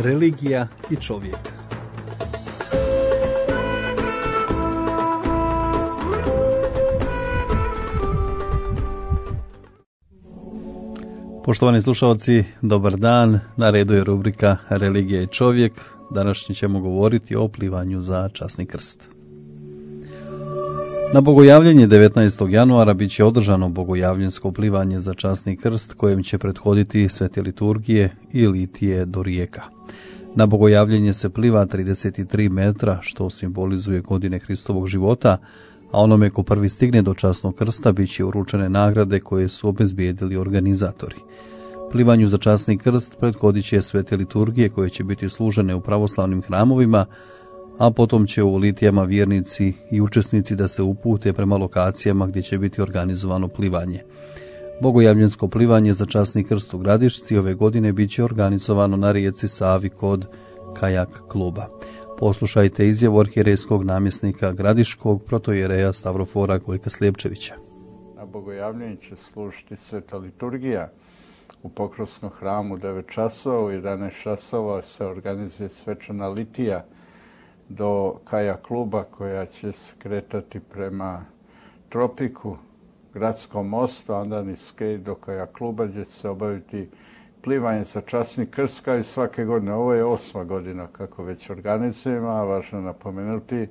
religija i čovjek. Poštovani slušalci, dobar dan. Na redu je rubrika Religija i čovjek. Današnji ćemo govoriti o plivanju za časni krst. Na bogojavljenje 19. januara bit će održano bogojavljensko plivanje za časni krst kojem će prethoditi svete liturgije i litije do rijeka. Na bogojavljenje se pliva 33 metra, što simbolizuje godine Hristovog života, a onome ko prvi stigne do časnog krsta bit će uručene nagrade koje su obezbijedili organizatori. Plivanju za časni krst prethodit će svete liturgije koje će biti služene u pravoslavnim hramovima, a potom će u litijama vjernici i učesnici da se upute prema lokacijama gdje će biti organizovano plivanje. Bogojavljensko plivanje za časni krst u Gradišci ove godine bit će organizovano na rijeci Savi kod kajak kluba. Poslušajte izjavu arhijerejskog namjesnika Gradiškog protoijereja Stavrofora Gojka Slijepčevića. Na bogojavljenju će služiti sveta liturgija u Pokrovskom hramu 9 časova, u 11 časova se organizuje svečana litija do kajak kluba koja će se kretati prema Tropiku, Gradskom mostu, a onda niz Skej do kajak kluba gdje će se obaviti plivanje za časni krst kao i svake godine. Ovo je 8. godina kako već organizujemo, a važno napomenuti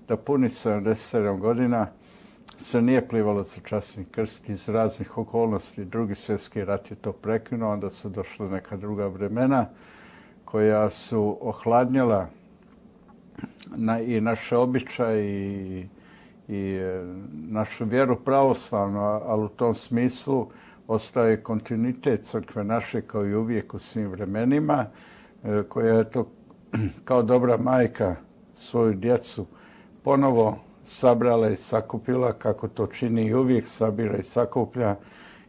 da puni 77 godina se nije plivalo za časni krst iz raznih okolnosti. Drugi svjetski rat je to prekinuo, onda su došla neka druga vremena koja su ohladnjala i naše običaje i našu vjeru pravoslavnu, ali u tom smislu ostaje kontinuitet crkve naše kao i uvijek u svim vremenima, koja je to kao dobra majka svoju djecu ponovo sabrala i sakupila, kako to čini i uvijek sabira i sakuplja,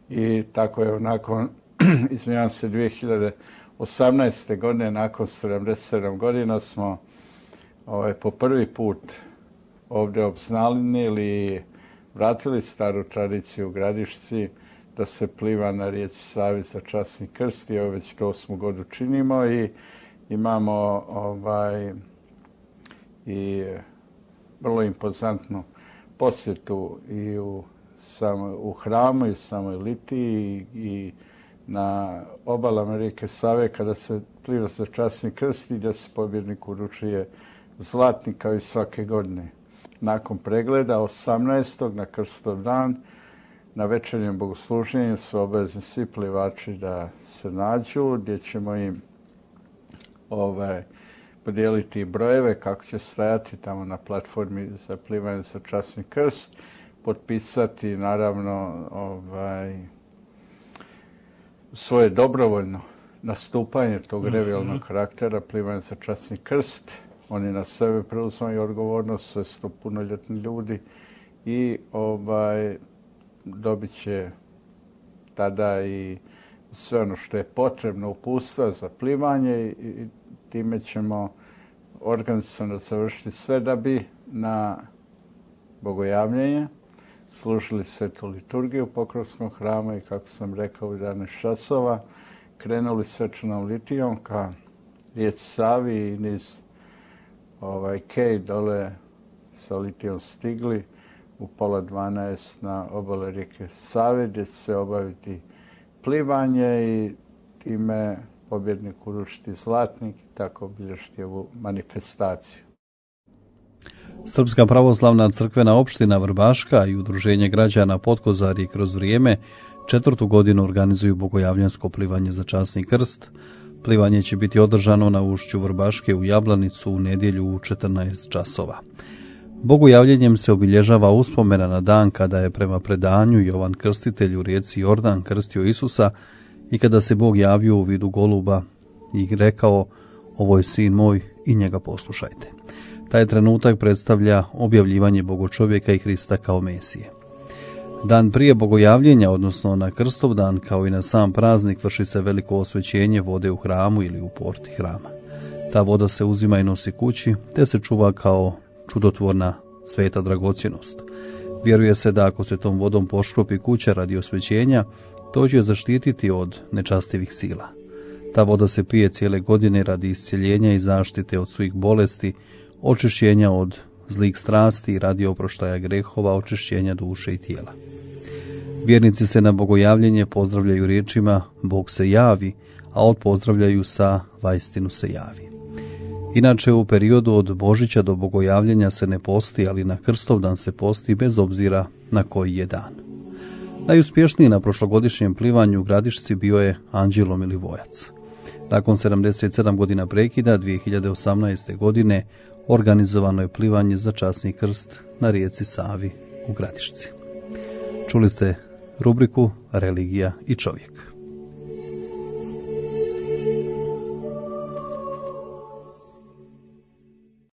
i tako je nakon, 2018. godine, nakon 77 godina smo po prvi put ovdje obznanili i vratili staru tradiciju u Gradišci da se pliva na rijeci Savi za časni krst, i već to 8. godinu činimo i imamo i vrlo impozantnu posjetu i u hramu i u samoj litiji i na obalama rijeke Save kada se pliva za časni krst i da se pobjednik uručuje zlatnik kao i svake godine. Nakon pregleda 18. na krstov dan na večernjem bogosluženju su obavezni svi plivači da se nađu, gdje ćemo im podijeliti brojeve kako će stajati tamo na platformi za plivanje za časni krst, potpisati naravno svoje dobrovoljno nastupanje tog revijalnog karaktera plivanja za časni krst. Oni na sebe preuzimaju odgovornost, sve su to punoljetni ljudi i dobit će tada i sve ono što je potrebno, uputstva za plivanje, i time ćemo organizaciono završiti sve da bi na bogojavljenje služili svetu liturgiju u Pokrovskom hramu i, kako sam rekao, u 11 časova krenuli svečanom litijom ka rijeci Savi i niz Kej dole sa litijom stigli u 11:30 na obale rijeke Save, gdje će se obaviti plivanje i time pobjednik uručiti zlatnik i tako obilježiti ovu manifestaciju. Srpska pravoslavna crkvena opština Vrbaška i Udruženje građana Potkozarje kroz vrijeme 4. godinu organizuju bogojavljansko plivanje za časni krst. Plivanje će biti održano na ušću Vrbaške u Jablanicu u nedjelju u 14 časova. Bogojavljenjem se obilježava uspomena na dan kada je prema predanju Jovan Krstitelj u rijeci Jordan krstio Isusa i kada se Bog javio u vidu goluba i rekao: "Ovo je sin moj i njega poslušajte." Taj trenutak predstavlja objavljivanje Bogočovjeka i Hrista kao Mesije. Dan prije bogojavljenja, odnosno na krstov dan, kao i na sam praznik, vrši se veliko osvećenje vode u hramu ili u porti hrama. Ta voda se uzima i nosi kući, te se čuva kao čudotvorna sveta dragocjenost. Vjeruje se da ako se tom vodom poškropi kuća radi osvećenja, to će zaštititi od nečastivih sila. Ta voda se pije cijele godine radi iscjeljenja i zaštite od svih bolesti, očišćenja od zlih strasti i radi oproštaja grehova, očišćenja duše i tijela. Vjernici se na bogojavljenje pozdravljaju riječima Bog se javi, a odpozdravljaju sa vaistinu se javi. Inače, u periodu od Božića do bogojavljenja se ne posti, ali na Krstovdan se posti bez obzira na koji je dan. Najuspješniji na prošlogodišnjem plivanju u Gradišci bio je Anđelo Milivojac. Nakon 77 godina prekida, 2018. godine organizovano je plivanje za časni krst na rijeci Savi u Gradišci. Čuli ste rubriku Religija i čovjek.